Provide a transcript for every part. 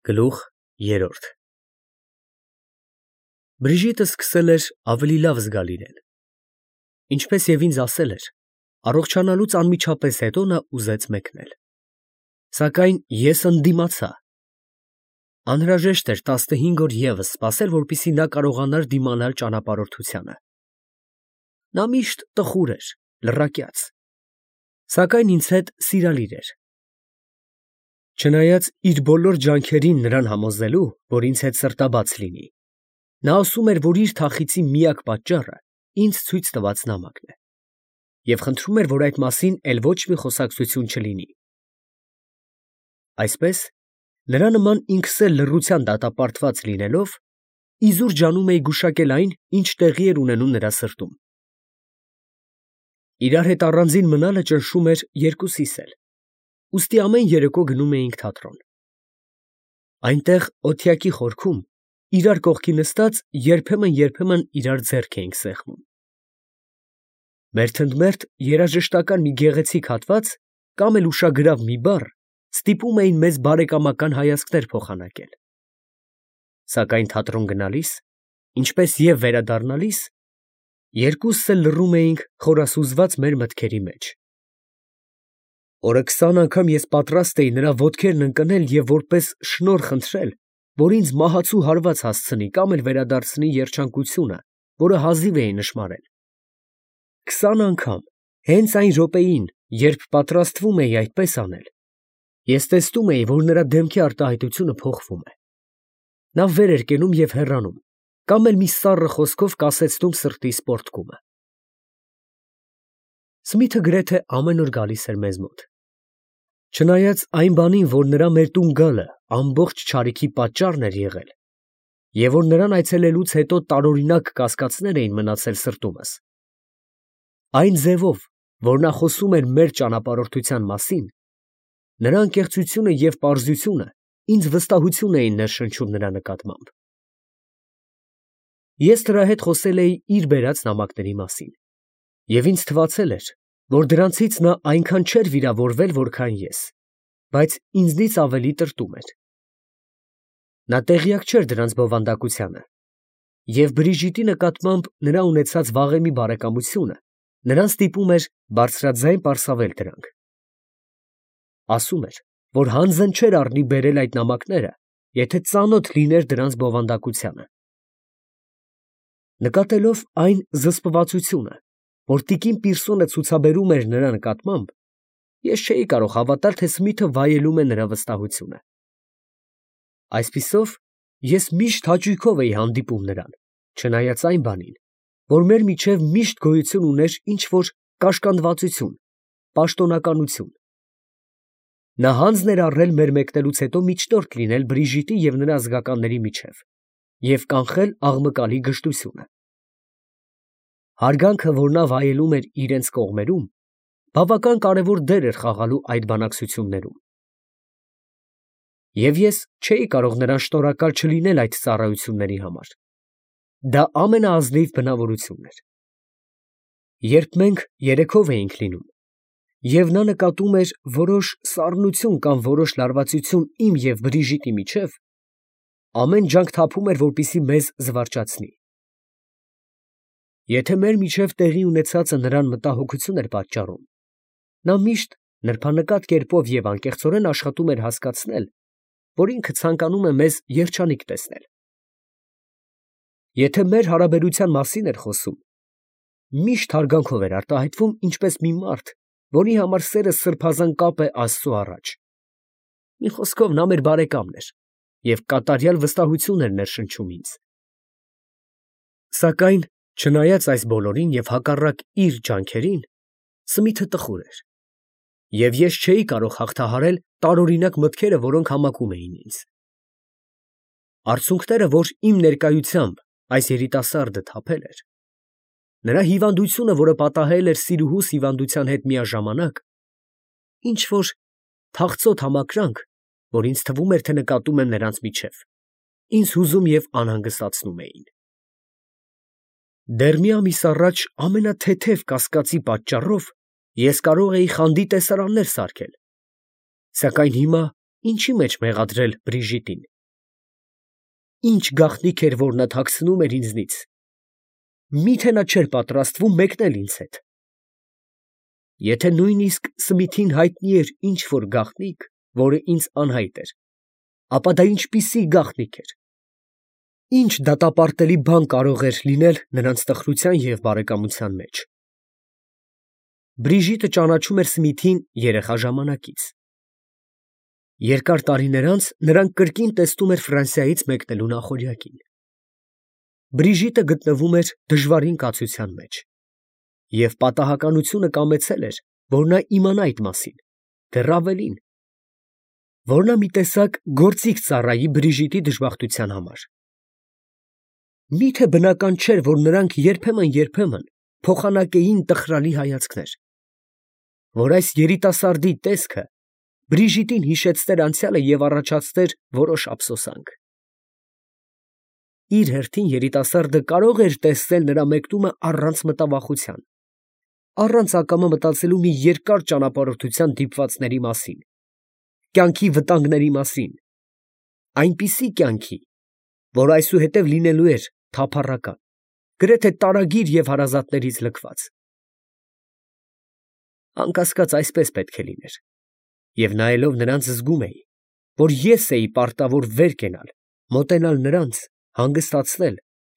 Գլուխ երրորդ Բրիժիտը սկսել էր ավելի լավ զգալ իրեն. ինչպես և ինձ ասել էր, առողջանալուց անմիջապես հետո նա ուզեց մեկնել, սակայն ես ընդդիմացա. անհրաժեշտ էր 15 օր ևս սպասել, որպեսզի նա կարողանար դիմանալ ճանապարհորդությանը. նա միշտ տխուր էր, լռակյաց, սակայն ինձ հետ սիրալիր էր. չնայած իր բոլոր ջանքերին նրան համոզելու, որ ինձ հետ սրտաբաց լինի, նա ասում էր, որ իր թախիծի միակ պատճառը ինձ ցույց տված նամակն է, և խնդրում էր, որ այդ մասին էլ ոչ մի խոսակցություն չլինի. այսպես, նրա նման ինքս էլ լռության դատապարտված լինելով, իզուր ջանում էի գուշակել այն, ինչ տեղի էր ունենում նրա սրտում. իրար հետ առանձին մնալը ճնշում էր երկուսիս էլ, ուստի ամեն երեկո գնում էինք թատրոն. այնտեղ օթյակի խորքում, իրար կողքի նստած, երբեմն իրար ձեռք էինք սեղմում. մերթընդմերթ երաժշտական մի գեղեցիկ հատված կամ էլ ուշագրավ մի բառ ստիպում էին մեզ բարեկամական հայացքներ փոխանակել, սակայն թատրոն գնալիս, ինչպես և վերադառնալիս, երկուսս էլ լռում էինք խորասուզված մեր մտքերի մեջ. օրը 20 անգամ ես պատրաստ էի նրա ոտքերն ընկնել և որպես շնորհ խնդրել, որ ինձ մահացու հարված հասցնի կամ էլ վերադարձնի երջանկությունը, որը հազիվ էի նշմարել. 20 անգամ, հենց այն րոպեին, երբ պատրաստվում էի այդպես անել, ես տեսնում էի, որ նրա դեմքի արտահայտությունը փոխվում է. նա վեր էր կենում և հեռանում, կամ էլ մի սառը խոսքով կասեցնում սրտի սպորտկումը. Սմիթը գրեթե ամեն օր գալիս էր մեզ մոտ. չնայած այն բանին, որ նրա մեր տուն գալը ամբողջ չարիքի պատճառն էր եղել, և որ նրան այցելելուց հետո տարօրինակ կասկածներ էին մնացել սրտումս, այն ձևով, որ նա խոսում էր մեր ճանապարհորդության մասին, նրա անկեղծությունը և պարզությունը ինձ վստահություն էին ներշնչում նրա նկատմամբ. ես նրա հետ խոսել էի իր բերած նամակների մասին, և ինձ թվացել էր, որ դրանցից նա այնքան չէր վիրավորվել, որքան ես, բայց ինձնից ավելի տրտում էր. նա տեղյակ չէր դրանց բովանդակությանը, և Բրիժիտի նկատմամբ նրա ունեցած վաղեմի բարեկամությունը նրան ստիպում էր բարձրաձայն պարսավել դրանք. ասում էր, որ հանձն չէր առնի բերել այդ նամակները, եթե ծանոթ լիներ դրանց բովանդակությանը. նկատելով այն զսպվածությունը, որ տիկին Պիրսոնը ցուցաբերում էր նրա նկատմամբ, ես չէի կարող հավատալ, թե Սմիթը վայելում է նրա վստահությունը. այսպիսով, ես միշտ հաճույքով էի հանդիպում նրան, չնայած այն բանին, որ մեր միջև միշտ գոյություն ուներ ինչ-որ կաշկանդվածություն, պաշտոնականություն. նա հանձն էր առել մեր մեկնելուց հետո միջնորդ լինել Բրիժիտի և նրա զգականների միջև և կանխել աղմկալի գժտությունը. հարգանքը, որ նա վայելում էր իրենց կողմերում, բավական կարևոր դեր էր խաղալու այդ բանակցություններում. և ես չէի կարող նրան շնորհակալ չլինել այդ ծառայությունների համար. դա ամենաազնիվ բնավորությունն էր. երբ մենք երեքով էինք լինում, և նա նկատում էր որոշ սառնություն կամ որոշ լարվածություն իմ և Բրիժիտի միջև, ամեն ջանք թափում էր, որպեսզի մեզ զվարճացնի. եթե մեր միջև տեղի ունեցածը նրան մտահոգություն էր պատճառում, նա միշտ նրբանկատ կերպով և անկեղծորեն աշխատում էր հասկացնել, որ ինքը ցանկանում է մեզ երջանիկ տեսնել. եթե մեր հարաբերության մասին էր խոսում, միշտ հարգանքով էր արտահայտվում ինչպես մի մարդ, որի համար սերը սրբազան կապ է Աստծու առաջ. մի խոսքով, նա մեր բարեկամն էր և կատարյալ վստահություն էր ներշնչում ինձ. սակայն չնայած այս բոլորին և հակառակ իր ջանքերին, Սմիթը տխուր էր, և ես չէի կարող հաղթահարել տարօրինակ մտքերը, որոնք համակում էին ինձ. արցունքները, որ իմ ներկայությամբ այս երիտասարդը թափել էր, նրա հիվանդությունը, որը պատահել էր սիրուհուս հիվանդության հետ միաժամանակ, ինչ֊որ թախծոտ համակրանք, որ ինձ թվում էր, թե նկատում եմ նրանց միջև, ինձ հուզում և անհանգստացնում էին. դեռ մի ամիս առաջ ամենաթեթև կասկածի պատճառով ես կարող էի խանդի տեսարաններ սարքել, սակայն հիմա ինչի մեջ մեղադրել Բրիժիտին, ինչ գաղտնիք էր, որ նա թաքցնում էր ինձնից։ Միթե նա չէր պատրաստվում մեկնել ինձ հետ։ Եթե նույնիսկ Սմիթին հայտնի էր ինչ որ գաղտնիք, որը ինձ անհայտ էր, ապա դա ինչպիսի գաղտնիք էր։ Ինչ դատապարտելի բան կարող էր լինել նրանց տխրության և բարեկամության մեջ։ Բրիժիտը ճանաչում էր Սմիթին երեխա ժամանակից։ Երկար տարիներ անց նրան կրկին տեսնում էր Ֆրանսիայից մեկնելու նախօրյակին։ Բրիժիտը գտնվում էր դժվարին կացության մեջ, և պատահականությունը կամեցել էր, որ նա իմանա այդ մասին, դեռ ավելին, որ նա մի տեսակ գործիք ծառայի Բրիժիտի դժբախտության համար։ Միթե բնական չէր, որ նրանք երբեմն փոխանակեին տխրալի հայացքներ, որ այս երիտասարդի տեսքը Բրիժիտին հիշեցներ անցյալը և առաջացներ որոշ ափսոսանք։ Իր հերթին երիտասարդը կարող էր տեսնել նրա մեկնումը առանց մտավախության, առանց ակամա մտածելու մի երկար ճանապարհորդության դիպվածների մասին, կյանքի վտանգների մասին, այնպիսի կյանքի, որ այսուհետև լինելու էր թափառական, գրեթե տարագիր և հարազատներից լքված։ Անկասկած այսպես պետք է լիներ, և նայելով նրանց զգում էի, որ ես էի պարտավոր վեր կենալ, մոտենալ նրանց, հանգստացնել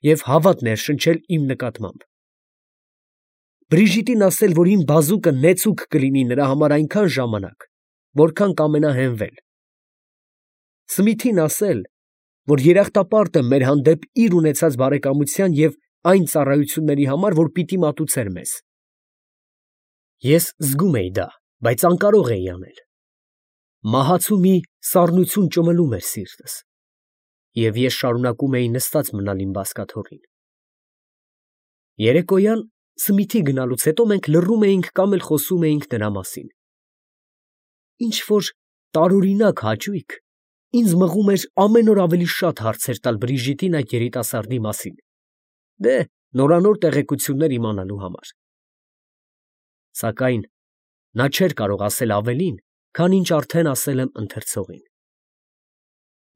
և հավատ ներշնչել իմ նկատմամբ։ Բրիժիտին ասել, որ իմ բազուկը նեցուկ կլինի նրա համար այնքան ժամանակ, որքան կամենա հենվել։ Սմիթին ասել, որ երախտապարտ եմ մեր հանդեպ իր ունեցած բարեկամության և այն ծառայությունների համար, որ պիտի մատուցեր մեզ։ Ես զգում էի դա, բայց անկարող էի անել։ Մահացու մի սառնություն ճմլում էր սիրտս, և ես շարունակում էի նստած մնալ իմ բազկաթոռին։ Երեկոյան Սմիթի գնալուց հետո մենք լռում էինք կամ էլ խոսում էինք նրա մասին։ Ինչ-որ տարօրինակ հաճույք ինձ մղում էր ամեն օր ավելի շատ հարցեր տալ Բրիժիտին այդ երիտասարդի մասին, նորանոր տեղեկություններ իմանալու համար։ Սակայն նա չէր կարող ասել ավելին, քան ինչ արդեն ասել եմ ընթերցողին։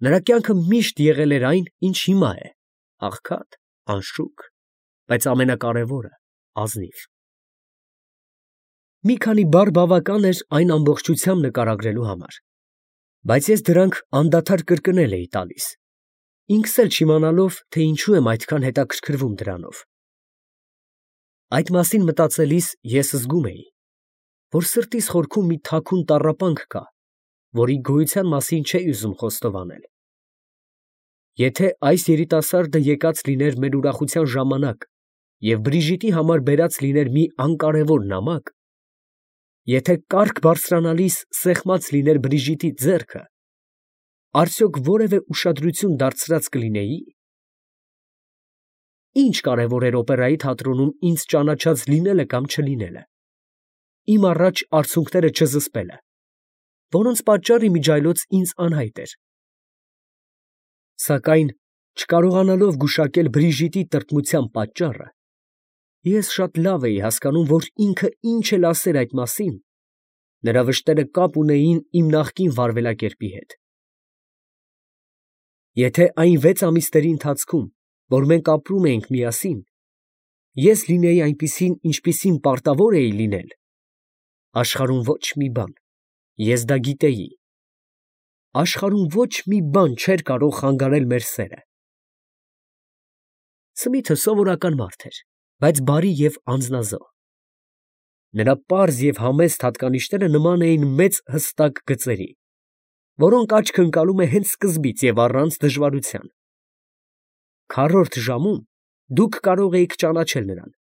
Նրա կյանքը միշտ եղել էր այն, ինչ հիմա է, աղքատ, անշուք, բայց ամենակարևորը՝ ազնիվ։ Մի քանի բառ բավական էր այն ամբողջությամբ նկարագրելու համար, բայց ես դրանք անդադար կրկնել էի տալիս, ինքս էլ չիմանալով, թե ինչու եմ այդքան հետաքրքրվում դրանով։ Այդ մասին մտածելիս ես զգում էի, որ սրտիս խորքում մի թաքուն տառապանք կա, որի գոյության մասին չէի ուզում խոստովանել։ Եթե այս երիտասարդը եկած լիներ մեր ուրախության ժամանակ և Բրիժիտի համար բերած լիներ մի անկարևոր նամակ, եթե կառք բարձրանալիս սեղմած լիներ Բրիժիտի ձեռքը, արդյոք որևէ ուշադրություն դարձրած կլինեի։ Ինչ կարևոր էր օպերայի թատրոնում ինձ ճանաչած լինելը կամ չլինելը, իմ առաջ արցունքները չզսպելը, որոնց պատճառ իմիջիայլոց ինձ անհայտ էր։ Սակայն չկարողանալով գուշակել Բրիժիտի տրտմության պատճառը, ես շատ լավ էի հասկանում, որ ինքը ինչ էլ ասեր այդ մասին, նրա վշտերը կապ ունեին իմ նախկին վարվելակերպի հետ։ Եթե այն 6 ամիսների ընթացքում, որ մենք ապրում էինք միասին, ես լինեի այնպիսին, ինչպիսին պարտավոր էի լինել, աշխարհում ոչ մի բան, ես դա գիտեի, աշխարհում ոչ մի բան չէր կարող խանգարել մեր սերը։ Սմիթը սովորական մարդ էր, բայց բարի և անձնազոհ։ Նրա պարզ և համեստ հատկանիշները նման էին մեծ հստակ գծերի, որոնք աչքը ընկալում է հենց սկզբից և առանց դժվարության։ Քառորդ ժամում դուք կարող էիք ճանաչել նրան,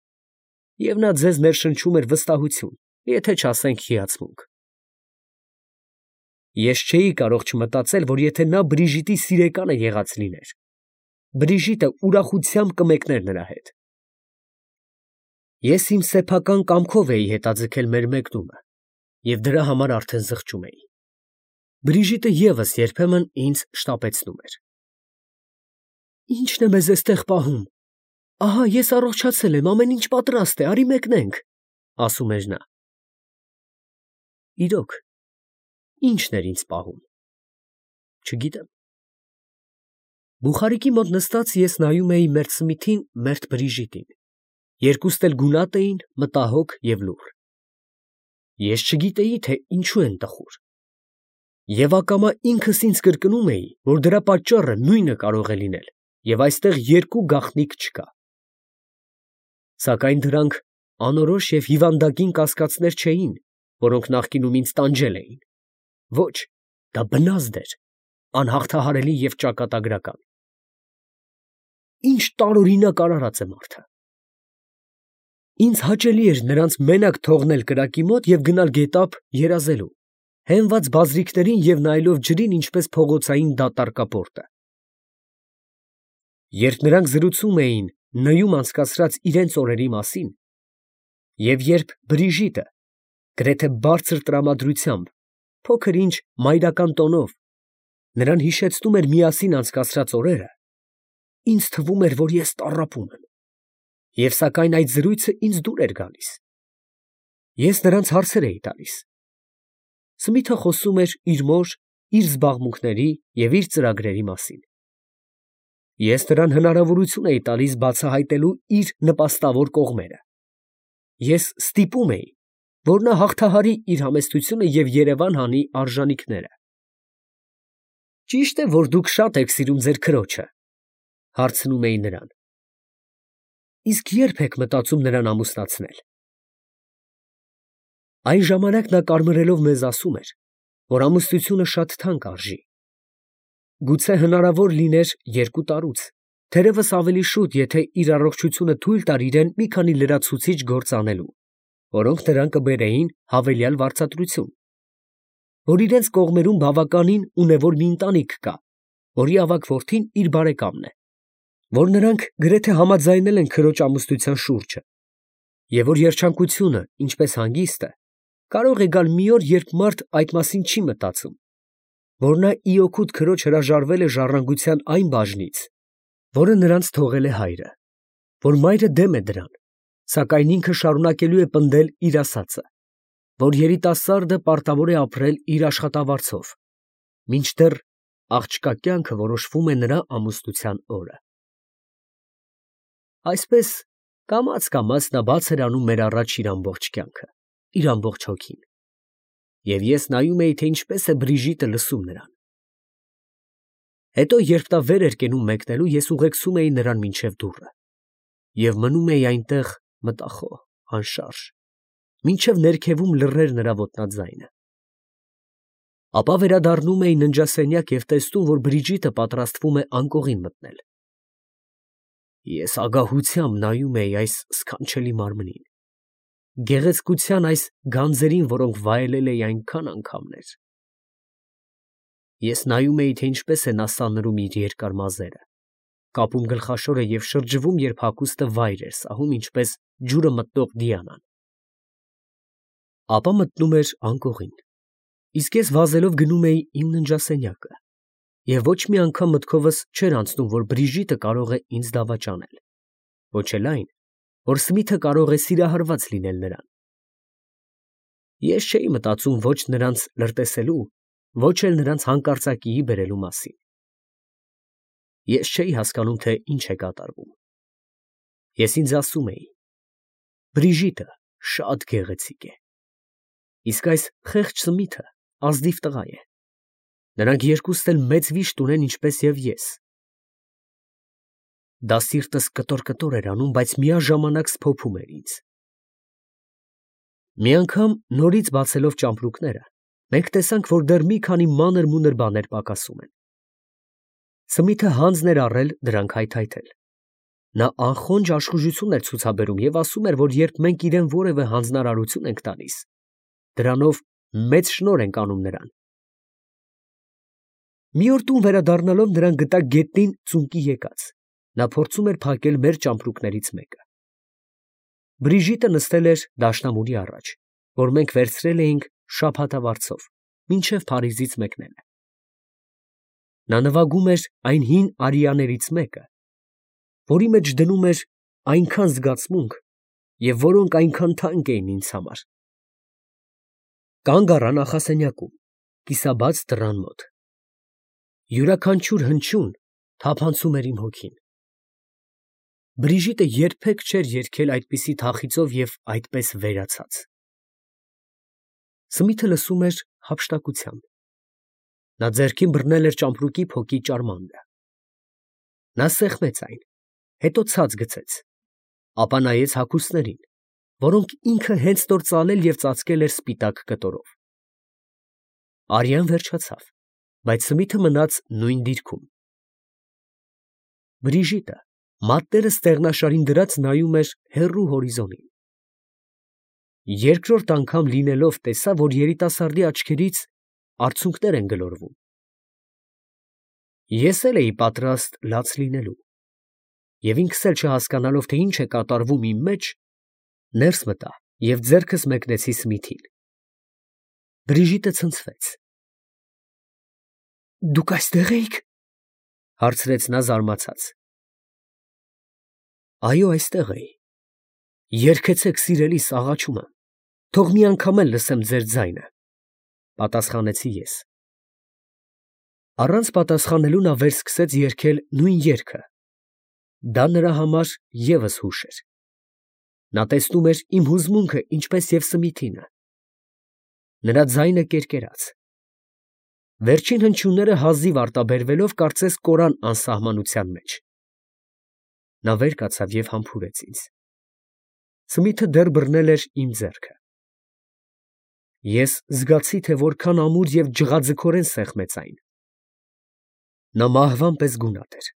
և նա ձեզ ներշնչում էր վստահություն, եթե չասենք հիացմունք։ Ես չէի կարող չմտածել, որ եթե նա Բրիժիտի սիրեկանը եղած լիներ, Բրիժիտը ուրախությամբ կմեկներ նրա հետ։ Ես իմ սեփական կամքով էի հետաձգել մեր մեկնումը և դրա համար արդեն զղջում էի։ Բրիժիտը ևս երբեմն ինձ շտապեցնում էր։ Ի՞նչն է մեզ էստեղ պահում։ Ահա ես առողջացել եմ, ամեն ինչ պատրաստ է, արի մեկնենք, ասում էր նա։ Իրոք, ի՞նչն էր ինձ պահում։ Չգիտեմ։ Բուխարիկի մոտ նստած ես նայում էի մերթ Սմիթին, մերթ Բրիժիտին. երկուստ էլ գունատ էին, մտահոգ և լուռ։ Ես չգիտեի, թե ինչու են տխուր։ Եվ ակամա ինքս ինձ կրկնում էի, որ դրա պատճառը նույնը կարող է լինել, և այստեղ երկու գաղտնիք չկա։ Սակայն դրանք անորոշ և հիվանդագին կասկածներ չէին, որոնք նախկինում ինձ տանջել էին։ Ոչ, դա բնազդ էր, անհաղթահարելի և ճակատագրական։ Ինչ տարօրինակ արարած է մարդը։ Ինձ հաճելի էր նրանց մենակ թողնել կրակի մոտ և գնալ գետափ երազելու, հենված բազրիքներին և նայելով ջրին, ինչպես փողոցային դատարկապորտը։ Երբ նրանք զրուցում էին Ն֊ում անցկացրած իրենց օրերի մասին, և երբ Բրիժիտը գրեթե բարձր տրամադրությամբ, փոքր ինչ մայրական տոնով նրան հիշեցնում էր միասին անցկացրած օրերը, ինձ թվում էր, որ ես տառապում եմ, և սակայն այդ զրույցը ինձ դուր էր գալիս։ Ես նրանց հարցեր էի տալիս։ Սմիթը խոսում էր իր մոր, իր զբաղմունքների և իր ծրագրերի մասին։ Ես նրան հնարավորություն էի տալիս բացահայտելու իր նպաստավոր կողմերը։ Ես ստիպում էի, որ նա հաղթահարի իր համեստությունը և երևան հանի արժանիքները։ Ճի՞շտ է, որ դուք շատ եք սիրում ձեր քրոջը, հարցնում էի նրան։ Իսկ ե՞րբ եք մտածում նրան ամուսնացնել։ Այն ժամանակ նա կարմրելով մեզ ասում էր, որ ամուսնությունը շատ թանկ արժի։ Գուցե հնարավոր լիներ 2 տարուց, թերևս ավելի շուտ, եթե իր առողջությունը թույլ տար իրան մի քանի լրացուցիչ գործ անելու, որոնք նրան կբերեին հավելյալ վարձատրություն, որ իրենց կողմերում բավականին ունևոր մի ընտանիք կա, որի ավագ որդին իր բարեկամն է, որ նրանք գրեթե համաձայնել են քրոջ ամուսնության շուրջը, և որ երջանկությունը, ինչպես հանգիստը, կարող է գալ մի օր, երբ մարդ այդ մասին չի մտածում, որ նա ի օգուտ քրոջ հրաժարվել է ժառանգության այն բաժնից, որը նրանց թողել է հայրը, որ մայրը դեմ է դրան, սակայն ինքը շարունակելու է պնդել իր ասածը, որ երիտասարդը պարտավոր է ապրել իր աշխատավարձով, մինչդեռ աղջկա կյանքը որոշվում է նրա ամուսնության օրը։ Այսպես կամաց նա բաց էր անում մեր առաջ իր ամբողջ կյանքը, իր ամբողջ հոգին, և ես նայում էի, թե ինչպես է Բրիժիտը լսում նրան։ Հետո, երբ նա վեր էր կենում մեկնելու, ես ուղեկցում էի նրան մինչև դուռը և մնում էի այնտեղ մտախոհ, անշարժ, մինչև ներքևում լռեր նրա ոտնաձայնը։ Ապա վերադառնում էի ննջասենյակ և տեսնում, որ Բրիժիտը պատրաստվում է անկողին մտնել։ Ես ագահությամբ նայում էի այս սքանչելի մարմնին, գեղեցկության այս գանձերին, որոնք վայելել էի այնքան անգամներ։ Ես նայում էի, թե ինչպես է նա սանրում իր երկար մազերը, կապում գլխաշորը և շրջվում, երբ հագուստը վայր էր սահում, ինչպես ջուրը մտնող Դիանան։ Ապա մտնում էր անկողին, իսկ ես վազելով գնում էի իմ ննջասենյակը, և ոչ մի անգամ մտքովս չէր անցնում, որ Բրիժիտը կարող է ինձ դավաճանել, ոչ էլ այն, որ Սմիթը կարող է սիրահարված լինել նրան։ Ես չէի մտածում ոչ նրանց լրտեսելու, ոչ էլ նրանց հանկարծակիի բերելու մասին։ Ես չէի հասկանում, թե ինչ է կատարվում։ Ես ինձ ասում էի. Բրիժիտը շատ գեղեցիկ է, իսկ այս խեղճ Սմիթը ազնիվ տղա է։ Նրանք երկուստ էլ մեծ վիշտ ունեն, ինչպես և ես։ Դա սիրտս կտոր էր անում, բայց միաժամանակ սփոփում էր ինձ։ Մի անգամ նորից բացելով ճամպրուկները, մենք տեսանք, որ դեռ մի քանի մանր-մունր բաներ պակասում են։ Սմիթը հանձն էր առել դրանք հայթայթել։ Նա անխոնջ աշխուժություն էր ցուցաբերում և ասում էր, որ երբ մենք իրան որևէ հանձնարարություն ենք տալիս, դրանով մեծ շնորհ ենք անում նրան։ Մի օր տուն վերադառնալով նրան գտա գետնին ծունկի եկած։ Նա փորձում էր փակել մեր ճամպրուկներից մեկը։ Բրիժիտը նստել էր դաշնամուրի առաջ, որ մենք վերցրել էինք շաբաթվարձով, մինչև Փարիզից մեկնելը։ Նա նվագում էր այն հին արիաներից մեկը, որի մեջ դնում էր այնքան զգացմունք և որոնք այնքան թանկ էին ինձ համար։ Կանգ առա նախասենյակում, կիսաբաց դռան մոտ։ Յուրաքանչյուր հնչյուն թափանցում էր իմ հոգին։ Բրիժիտը երբեք չէր երգել այդպիսի թախիծով և այդպես վերացած։ Սմիթը լսում էր հափշտակությամբ։ Նա ձեռքին բռնել էր ճամպրուկի փոկի ճարմանդը։ Նա սեղմեց այն, հետո ցած գցեց, ապա նայեց հագուստներին, որոնք ինքը հենց նոր ծալել և ծածկել էր սպիտակ կտորով։ Արյան վերջացավ, բայց Սմիթը մնաց նույն դիրքում։ Բրիժիտը մատները ստեղնաշարին դրած նայում էր հեռու հորիզոնին։ Երկրորդ անգամ լինելով տեսավ, որ երիտասարդի աչքերից արցունքներ են գլորվում։ Ես էլ էի պատրաստ լաց լինելու, և ինքս էլ չհասկանալով, թե ինչ է կատարվում իմ մեջ, ներս մտա և ձեռքս մեկնեցի Սմիթին։ Բրիժիտը ցնցվեց։ «Դուք այստեղ էիք» հարցրեց նա զարմացած։ «Այո, այստեղ էի։ Երգեցեք, սիրելիս, աղաչում եմ, թող մի անգամ էլ լսեմ ձեր ձայնը», պատասխանեցի ես։ Առանց պատասխանելու նա վերսկսեց երգել նույն երգը։ Դա նրա համար ևս հուշ էր։ Նա տեսնում էր իմ հուզմունքը, ինչպես և Սմիթինը։ Նրա ձայնը կերկերաց։ Վերջին հնչյունները հազիվ արտաբերվելով, կարծես կորան անսահմանության մեջ։ Նա վեր կացավ և համբուրեց ինձ։ Սմիթը դեռ բռնել էր իմ ձեռքը։ Ես զգացի, թե որքան ամուր և ջղաձգորեն սեղմեց այն։ Նա մահվան պես գունատ էր։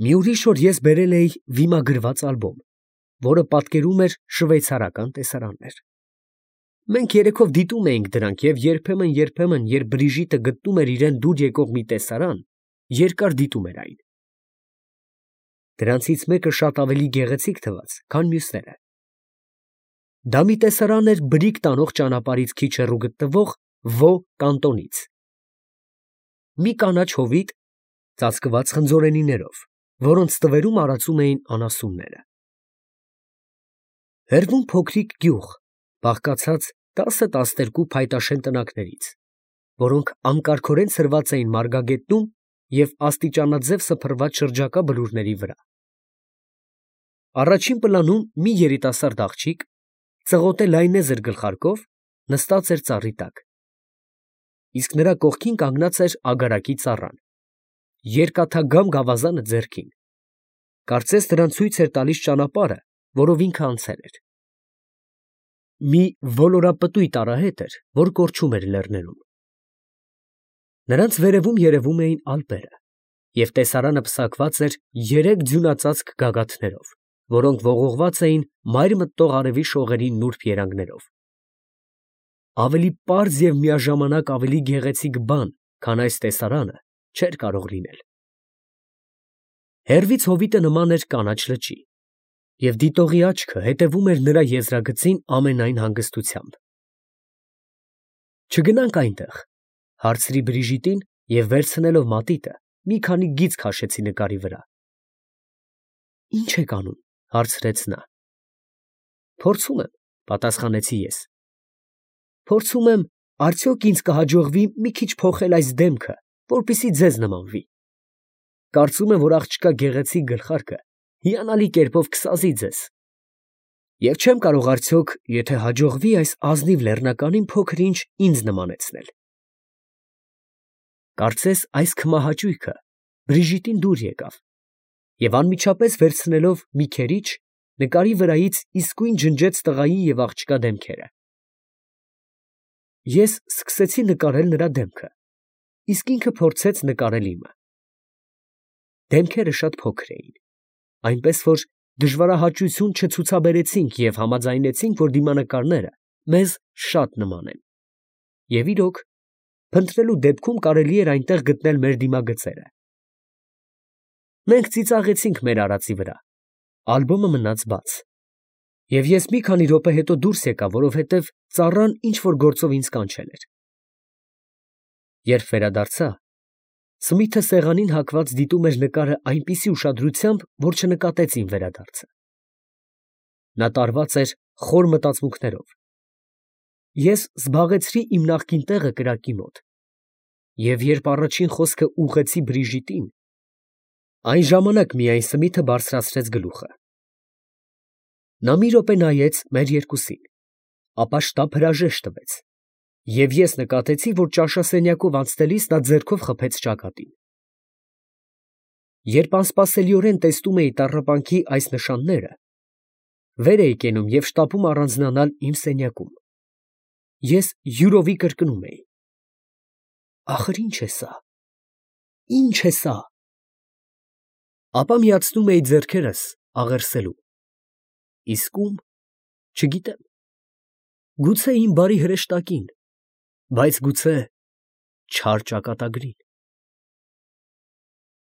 Մի ուրիշ օր ես բերել էի վիմագրված ալբոմ, որը պատկերում էր շվեյցարական տեսարաններ։ Մենք երեքով դիտում էինք դրանք և երբեմն, երբ Բրիժիտը գտնում էր իրան դուր եկող մի տեսարան, երկար դիտում էր այն։ Դրանցից մեկը շատ ավելի գեղեցիկ թվաց, քան մյուսները։ Դա մի տեսարան էր բրիկ տանող ճանապարհից քիչ հեռու գտնվող Վո կանտոնից։ Մի կանաչ հովիտ ծածկված խնձորենիներով, որոնց ստվերում արածում էին անասունները։ Հեռվում փոքրիկ գյուղ, բաղկացած 10-12 փայտաշեն տնակներից, որոնք անկարգորեն ցրված էին մարգագետնում և աստիճանաձև սփռված շրջակա բլուրների վրա։ Առաջին պլանում մի երիտասարդ աղջիկ, ծղոտե լայնեզր գլխարկով, նստած էր ծառի տակ, իսկ նրա կողքին կանգնած էր ագարակի ծառան, երկաթագամ գավազանը ձեռքին, կարծես նրան ցույց էր տալիս ճանապարհը, որով ինքը անցել էր։ Մի ոլորապտույտ արահետ էր, որ կորչում էր լեռներում։ Նրանց վերևում երևում էին Ալպերը, և տեսարանը պսակված էր 3 ձյունածածկ գագաթներով, որոնք ողողված էին մայր մտնող արևի շողերի նուրբ երանգներով։ Ավելի պարզ և միաժամանակ ավելի գեղեցիկ բան, քան այս տեսարանը, չէր կարող լինել։ Հեռվից հովիտը նման էր կանաչ լճի, և դիտողի աչքը հետևում էր նրա եզրագծին ամենայն հանգստությամբ։ «Չգնա՞նք այնտեղ», հարցրի Բրիժիտին և վերցնելով մատիտը, մի քանի գիծ քաշեցի նկարի վրա։ «Ի՞նչ եք անում», հարցրեց նա։ «Փորձում եմ», պատասխանեցի ես։ «Փորձում եմ, արդյոք ինձ կհաջողվի մի քիչ փոխել այս դեմքը, որպեսզի ձեզ նմանվի։ Կարծում եմ, որ աղջկա գեղեցիկ գլխարկը հիանալի կերպով կսազի ձեզ։ Եվ չեմ կարող արդյոք, եթե հաջողվի, այս ազնիվ լեռնականին փոքր֊ինչ ինձ նմանեցնել»։ Կարծես այս քմահաճույքը Բրիժիտին դուր եկավ, և անմիջապես վերցնելով մի քերիչ, նկարի վրայից իսկույն ջնջեց տղայի և աղջկա դեմքերը։ Ես սկսեցի նկարել նրա դեմքը, իսկ ինքը փորձեց նկարել իմը։ Դեմքերը շատ փոքր էին, այնպես որ դժվարահաճություն չցուցաբերեցինք և համաձայնեցինք, որ դիմանկարները մեզ շատ նման են։ Եվ իրոք, փնտրելու դեպքում կարելի էր այնտեղ գտնել մեր դիմագծերը։ Մենք ծիծաղեցինք մեր արածի վրա, ալբոմը մնաց բաց, և ես մի քանի րոպե հետո դուրս եկա, որովհետև ծառան ինչ֊որ գործով ինձ կանչել էր։ Երբ վերադարձա, Սմիթը սեղանին հագված դիտում էր նկարը այնպիսի ուշադրությամբ, որ չնկատեց իմ վերադարձը։ Նա տարված էր խոր մտածմունքներով։ Ես զբաղեցրի իմ նախկին տեղը կրակի մոտ, Եվ երբ առաջին խոսքը ուղղեցի Բրիժիտին, այն ժամանակ միայն Սմիթը բարձրացրեց գլուխը։ Նա մի րոպե նայեց մեր երկուսին, ապա շտապ հրաժեշտ տվեց, և ես նկատեցի, որ ճաշասենյակով անցնելիս նա ձեռքով խփեց ճակատին։ Երբ անսպասելիորեն տեսնում էի տառապանքի այս նշանները, վեր էի կենում և շտապում առանձնանալ իմ սենյակում, ես յուրովի կրկնում էի. «Ախր ի՞նչ է սա, ի՞նչ է սա»։ Ապա միացնում էի ձեռքերս աղերսելու, իսկ ո՞ւմ, չգիտեմ, գուցե իմ բարի հրեշտակին, բայց գուցե չար ճակատագրին։